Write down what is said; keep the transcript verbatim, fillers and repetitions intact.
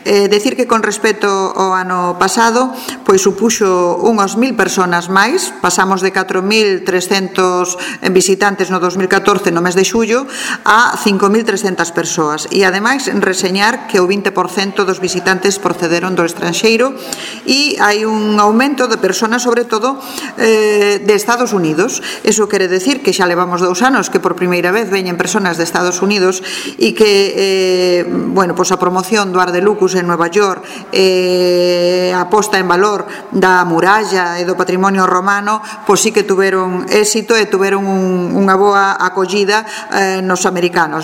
Eh, decir que con respecto ao ano pasado, pois supuxo unhas mil personas máis, pasamos de catro mil trescentos visitantes no dos mil catorce no mes de xullo a cinco mil trescentas persoas, e ademais reseñar que o vinte por cento dos visitantes procederon do estranxeiro e hai un aumento de personas, sobre todo eh, de Estados Unidos. Eso quere decir que xa levamos dous anos que por primeira vez veñen personas de Estados Unidos e que eh, bueno, pois a promoción do Ars de Lucus en Nueva York, eh, a posta en valor da muralla e do patrimonio romano, pois sí que tuveron éxito e tuveron un, unha boa acollida eh, nos americanos.